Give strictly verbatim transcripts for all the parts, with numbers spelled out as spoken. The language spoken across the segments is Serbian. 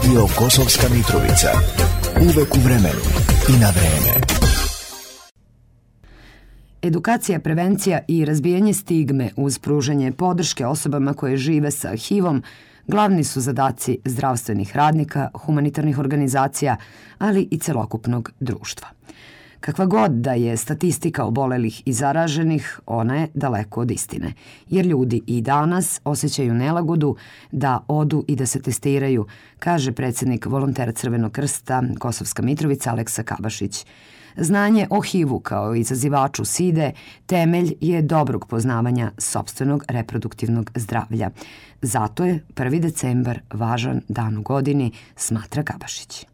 Radio Kosovska Mitrovica. Uvek u vremenu i na vreme. Edukacija, prevencija i razbijanje stigme uz pružanje podrške osobama koje žive sa H I V-om glavni su zadaci zdravstvenih radnika, humanitarnih organizacija, ali i celokupnog društva. Kakva god da je statistika obolelih i zaraženih, ona je daleko od istine, jer ljudi i danas osjećaju nelagodu da odu i da se testiraju, kaže predsjednik volontera Crvenog krsta Kosovska Mitrovica Aleksa Kabašić. Znanje o H I V-u kao izazivaču side temelj je dobrog poznavanja sopstvenog reproduktivnog zdravlja. Zato je prvi decembar važan dan u godini, smatra Kabašić.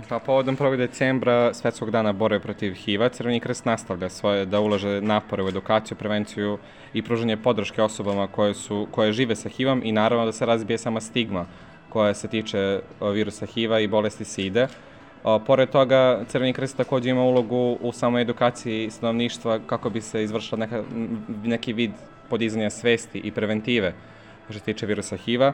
Pa povodom prvog decembra Svetskog dana borbe protiv H I V-a, Crveni krst nastavlja svoje da ulaže napore u edukaciju, prevenciju i pružanje podrške osobama koje, su, koje žive sa H I V-om i naravno da se razbije sama stigma koja se tiče virusa H I V-a i bolesti side. Pored toga, Crveni krst također ima ulogu u samoj edukaciji stanovništva kako bi se izvršila neka, neki vid podizanja svesti i preventive što se tiče virusa H I V-a.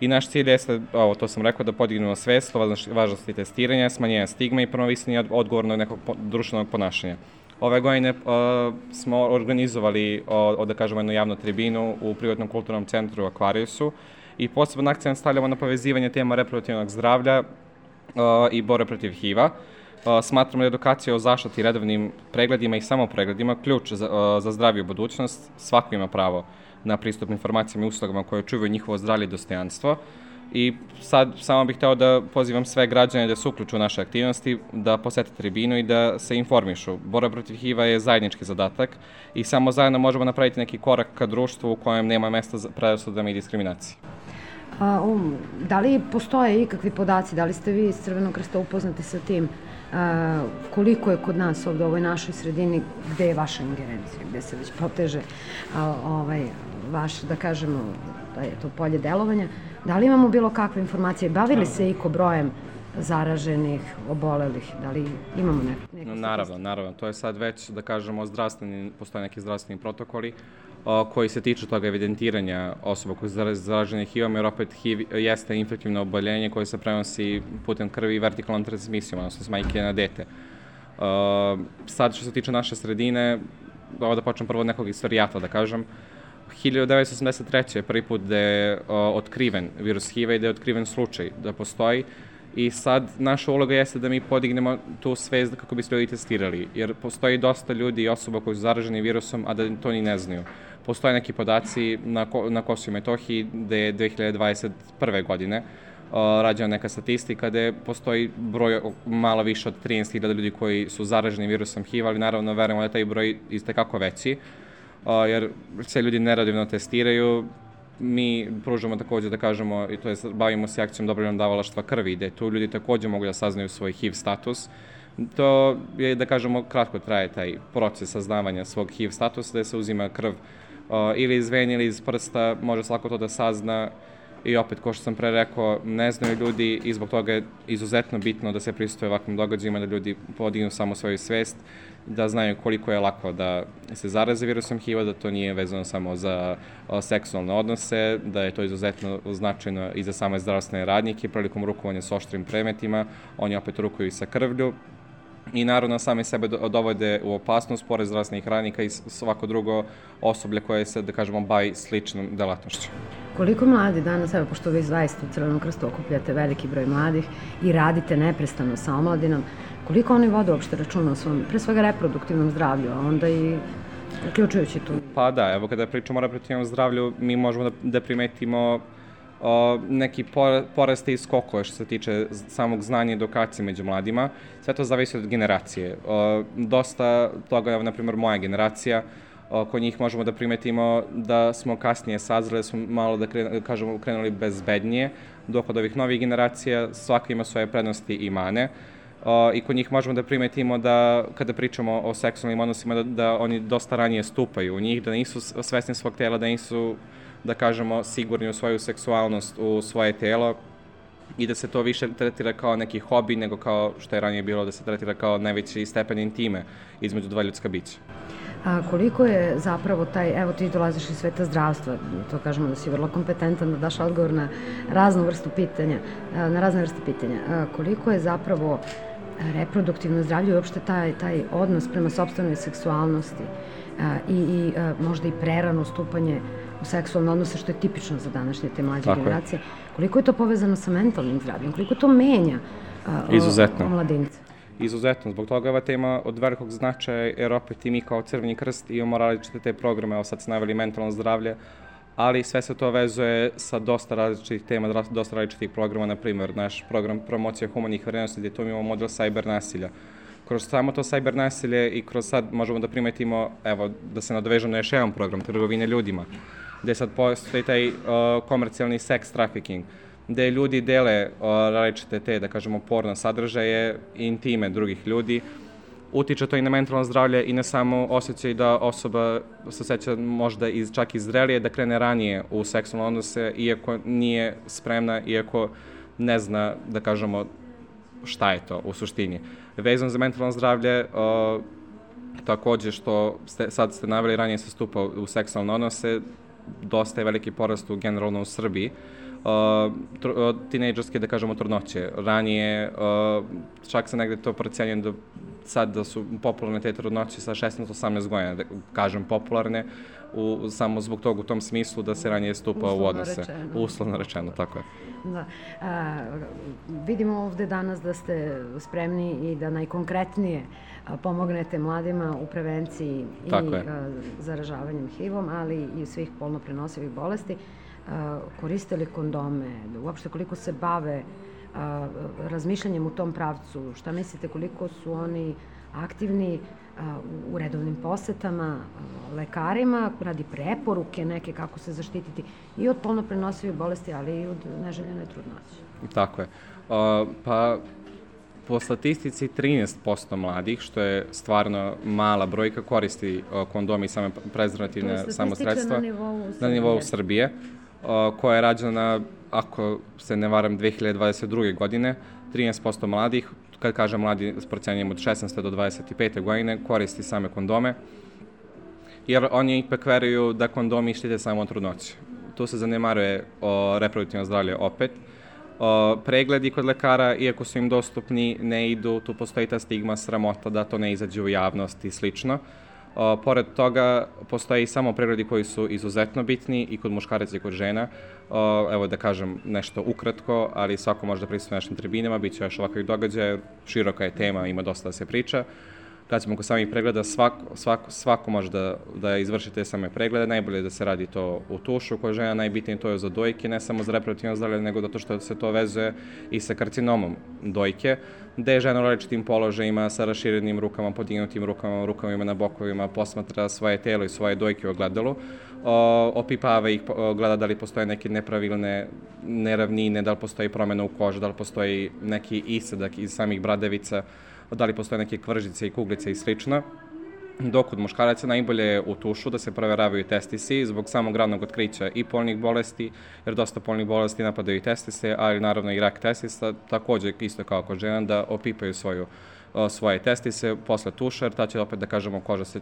I naš cilj jeste, ovo, to sam rekao, da podignemo svest o važnosti testiranja, smanjenja stigme i promovisanja odgovornog nekog društvenog ponašanja. Ove godine uh, smo organizovali, uh, da kažemo, jednu javnu tribinu u privatnom kulturnom centru Akvariusu i poseban akcent stavljamo na povezivanje tema reproduktivnog zdravlja uh, i borbe protiv H I V-a. Uh, smatramo da je edukacija o zaštiti, redovnim pregledima i samopregledima ključ za, uh, za zdraviju budućnost. Svako ima pravo na pristup informacijama i uslugama koje čuvaju njihovo zdravlje i dostojanstvo. I sad samo bih hteo da pozivam sve građane da se uključu u naše aktivnosti, da posete tribinu i da se informišu. Borba protiv H I V-a je zajednički zadatak i samo zajedno možemo napraviti neki korak ka društvu u kojem nema mesta za predrasudama i diskriminaciji. A, um, da li postoje ikakvi podaci, da li ste vi iz Crvenog krsta upoznati sa tim? A, koliko je kod nas ovdje u ovoj našoj sredini, gde je vaša ingerencija, gde se već proteže a, ovaj, vaš, da kažemo, da je to polje delovanja. Da li imamo bilo kakve informacije? Bavili se iko brojem zaraženih, obolelih? Da li imamo neke? No, naravno, naravno. To je sad već, da kažemo, zdravstveni, postoje neki zdravstveni protokoli o, koji se tiču toga evidentiranja osoba koji su zaražene H I V-om, jer opet H I V jeste infektivno oboljenje koje se prenosi putem krvi i vertikalnom transmisijom, odnosno s majke na dete. O, sad, što se tiče naše sredine, ovo da počnem prvo od nekog istorijata, da kažem, hiljadu devetsto osamdeset treće je prvi put da je o, otkriven virus H I V-a i da je otkriven slučaj da postoji. I sad naša uloga jeste da mi podignemo tu svest kako bi se ljudi testirali, jer postoji dosta ljudi i osoba koji su zaraženi virusom, a da to ni ne znaju. Postoje neki podaci na, na Kosovu i Metohiji da je dve hiljade dvadeset prve. godine o, rađena neka statistika gde postoji broj malo više od trinaest hiljada ljudi koji su zaraženi virusom H I V-a, ali naravno verujemo da je taj broj istekako veći. Uh, jer sve ljudi neradivno testiraju. Mi pružamo također, da kažemo, to je, bavimo se akcijom dobrovoljnog davalaštva krvi, gde tu ljudi također mogu da saznaju svoj H I V status. To je, da kažemo, kratko traje taj proces saznavanja svog H I V statusa, gde se uzima krv uh, ili iz vene ili iz prsta, može svako to da sazna. I opet, kao što sam pre rekao, ne znaju ljudi i zbog toga je izuzetno bitno da se pristuje ovakvim događajima, da ljudi podignu samo svoju svest, da znaju koliko je lako da se zaraze virusom H I V-a, da to nije vezano samo za o, seksualne odnose, da je to izuzetno značajno i za same zdravstvene radnike prilikom rukovanja s oštrim predmetima, oni opet rukuju i sa krvlju. I naravno sami sebe dovode u opasnost pored zdravstvenih radnika i svako drugo osoblje koje se, da kažemo, bavi sličnom delatnošću. Koliko mladi danas, evo, pošto vi zaista u Crvenom krstu okupljate veliki broj mladih i radite neprestano sa omladinom, koliko oni vode uopšte računa o svom, pre svega reproduktivnom zdravlju, a onda i uključujući tu? Pa da, evo kada pričamo o reproduktivnom zdravlju, mi možemo da, da primetimo o, neki poraste i skokove što se tiče samog znanja i edukacije među mladima. Sve to zavisi od generacije. O, dosta toga, evo, na primjer, moja generacija, kod njih možemo da primetimo da smo kasnije sazreli, da smo malo, da kren, kažemo, krenuli bezbednije, dok od ovih novih generacija svaka ima svoje prednosti i mane. Uh, I kod njih možemo da primetimo da, kada pričamo o seksualnim odnosima, da, da oni dosta ranije stupaju u njih, da nisu svesni svog tela, da nisu, da kažemo, sigurni u svoju seksualnost, u svoje telo i da se to više tretira kao neki hobi nego kao što je ranije bilo da se tretira kao najveći stepen intime između dva ljudska bića. A koliko je zapravo taj, evo ti dolaziš iz sveta zdravstva, to kažemo da si vrlo kompetentan da daš odgovor na raznu vrstu pitanja, na razne vrste pitanja. A koliko je zapravo reproduktivno zdravlje i uopšte taj, taj odnos prema sopstvenoj seksualnosti a, i, i a, možda i prerano stupanje u seksualne odnose, što je tipično za današnje te mlađe Tako generacije. Je. Koliko je to povezano sa mentalnim zdravljem? Koliko to menja a, o, o mladince? Izuzetno. Zbog toga je ova tema od velikog značaja, jer opet i mi kao Crveni krst imamo različite te programe, evo sad se naveli mentalno zdravlje, ali sve se to vezuje sa dosta različitih tema, dosta različitih programa, na primjer naš program promocija humanih vrednosti, gdje tu imamo model cyber nasilja. Kroz samo to cyber nasilje i kroz sad možemo da primetimo, evo, da se nadovežemo na još jedan program, trgovine ljudima, gdje sad postoji taj uh, komercijalni sex trafficking, gde ljudi dele uh, različite te, da kažemo, porno sadržaje i intime drugih ljudi. Utiče to i na mentalno zdravlje i ne samo osjećaj da osoba se osjeća možda iz, čak i zrelije, da krene ranije u seksualne odnose, iako nije spremna, iako ne zna, da kažemo, šta je to u suštini. Vezano za mentalno zdravlje, uh, takođe što ste, sad ste naveli, ranije se stupa u seksualne odnose, dosta je veliki porast u generalno u Srbiji. Uh, tr, tinejdžerske, da kažemo, trudnoće. Ranije, uh, čak se negde to procenjuje da sad da su popularne te trudnoće sa šesnaest do osamnaest godina, da kažem popularne, u, samo zbog toga u tom smislu da se ranije stupa uslovno u odnose. Rečeno. Uslovno rečeno, tako je. Da. A, vidimo ovde danas da ste spremni i da najkonkretnije pomognete mladima u prevenciji tako i a, zaražavanjem H I V-om, ali i svih polno prenosivih bolesti. A, koriste li kondome, uopšte koliko se bave a, razmišljanjem u tom pravcu, šta mislite koliko su oni aktivni a, u redovnim posetama a, lekarima, radi preporuke neke kako se zaštititi i od polno prenosivih bolesti, ali i od neželjene trudnoće? Tako je. Uh, pa po statistici trinaest posto mladih, što je stvarno mala brojka, koristi uh, kondomi i same prezervativne samosredstva na nivou Srbije, na nivou Srbije uh, koja je rađena, ako se ne varam, dve hiljade dvadeset druge godine. trinaest posto mladih, kad kažem mladi s procenjem od šesnaeste do dvadeset pete godine, koristi same kondome, jer oni ipak veruju da kondomi štite samo od trudnoće. Tu se zanemaruje o reproduktivno zdravlje opet. O, pregledi kod lekara, iako su im dostupni, ne idu, tu postoji ta stigma, sramota da to ne izađe u javnost i slično. O, pored toga, postoji samo pregledi koji su izuzetno bitni i kod muškaraca i kod žena. O, evo da kažem nešto ukratko, ali svako može da prisutuje našim tribinama, bit će još ovakvih događaja, široka je tema, ima dosta da se priča. Kad ćemo kod samih pregleda, svako, svako, svako može da, da izvrši te same preglede, najbolje je da se radi to u tušu, kod žena najbitnije to je za dojke, ne samo za reproduktivno zdravlje, nego zato što se to vezuje i sa karcinomom dojke, gde žena u različitim položajima, sa raširenim rukama, podignutim rukama, rukama na bokovima, posmatra svoje telo i svoje dojke u ogledalu, o, opipava ih, gleda da li postoje neke nepravilne neravnine, da li postoji promjena u koži, da li postoji neki isadak iz samih bradavica, da li postoje neke kvržice i kuglice i slično. Dok kod muškaraca najbolje je u tušu da se proveravaju testisi zbog samog ranog otkrića i polnih bolesti, jer dosta polnih bolesti napadaju i testise, ali naravno i rak testisa, također isto kao kod žena, da opipaju svoju, svoje testise posle tuša, jer ta će opet, da kažemo, koža se,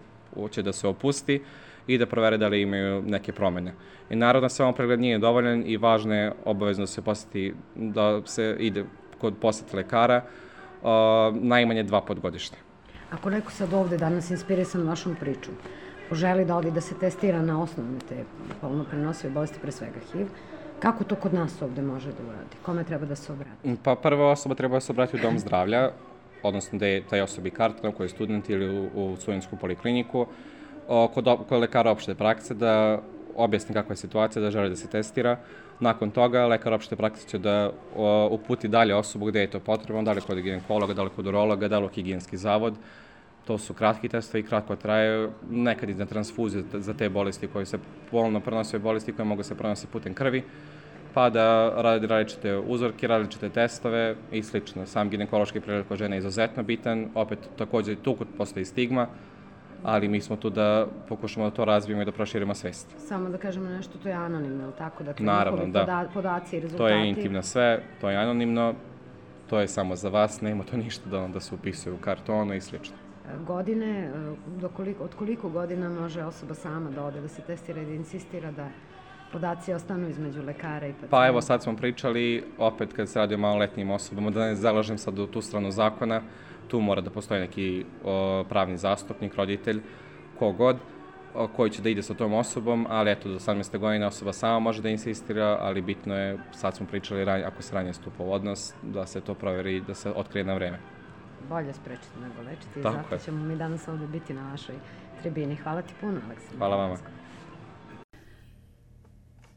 će da se opusti i da provere da li imaju neke promjene. I naravno, samo pregled nije dovoljan i važno je obavezno da se poseti, da se ide kod posete lekara, Uh, najmanje dva put godišnje. Ako neko sad ovde danas inspirisan vašom pričom, poželi da odi da se testira na osnovne te polno prenosive bolesti, pre svega H I V, kako to kod nas ovde može da uradi? Kome treba da se obrati? Pa prva osoba treba da se obrati u dom zdravlja, odnosno da je taj osobi karta koji je student ili u, u studentsku polikliniku, uh, kod, kod lekara opšte prakse da objasni kakva je situacija, da želi da se testira. Nakon toga, lekar opšte prakse će da o, uputi dalje osobu gde je to potrebno, da li kod ginekologa, da li kod urologa, da li u higijenski zavod. To su kratki testovi, kratko traju, nekad i na transfuziju za te bolesti koje se polno prenose, bolesti koje mogu se prenositi putem krvi, pa da radi različite uzorke, različite testove i slično. Sam ginekološki pregled kod žene je izuzetno bitan, opet također tu postoji stigma, ali mi smo tu da pokušamo da to razvijemo i da proširimo svest. Samo da kažemo nešto, to je anonimno, ili tako? Dakle, naravno, da. Poda, podaci i rezultati. To je intimno sve, to je anonimno, to je samo za vas, nema to ništa da, da se upisuje u kartonu i slično. godine, do koliko, od koliko godina može osoba sama da ode, da se testira i da insistira da podaci ostanu između lekara i pacijenta? Pa evo sad smo pričali, opet kad se radi o maloletnim osobama, da ne zalažem sad u tu stranu zakona, tu mora da postoji neki o, pravni zastupnik, roditelj, kogod, o, koji će da ide sa tom osobom, ali eto, do osamnaeste godine osoba sama može da insistira, ali bitno je, sad smo pričali, ranj, ako se ranije stupa u odnos, da se to proveri, da se otkrije na vreme. Bolje sprečiti nego lečiti, Tako zato je. ćemo mi danas ovde biti na vašoj tribini. Hvala ti puno, Aleksandar. Hvala vama.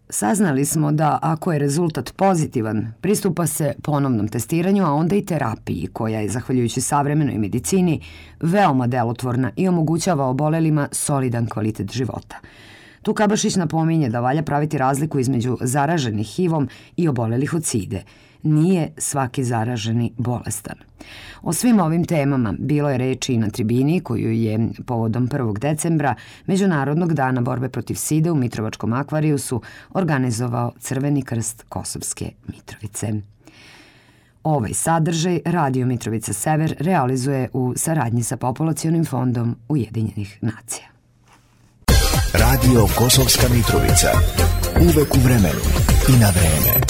Saznali smo da ako je rezultat pozitivan, pristupa se ponovnom testiranju, a onda i terapiji, koja je, zahvaljujući savremenoj medicini, veoma delotvorna i omogućava obolelima solidan kvalitet života. Tu Kabašić napominje da valja praviti razliku između zaraženih H I V-om i obolelih od side. Nije svaki zaraženi bolestan. O svim ovim temama bilo je reči i na tribini koju je povodom prvog decembra Međunarodnog dana borbe protiv side u Mitrovačkom akvarijusu organizovao Crveni krst Kosovske Mitrovice. Ovaj sadržaj Radio Mitrovica Sever realizuje u saradnji sa Populacionim fondom Ujedinjenih nacija. Radio Kosovska Mitrovica. Uvek u vremenu i na vreme.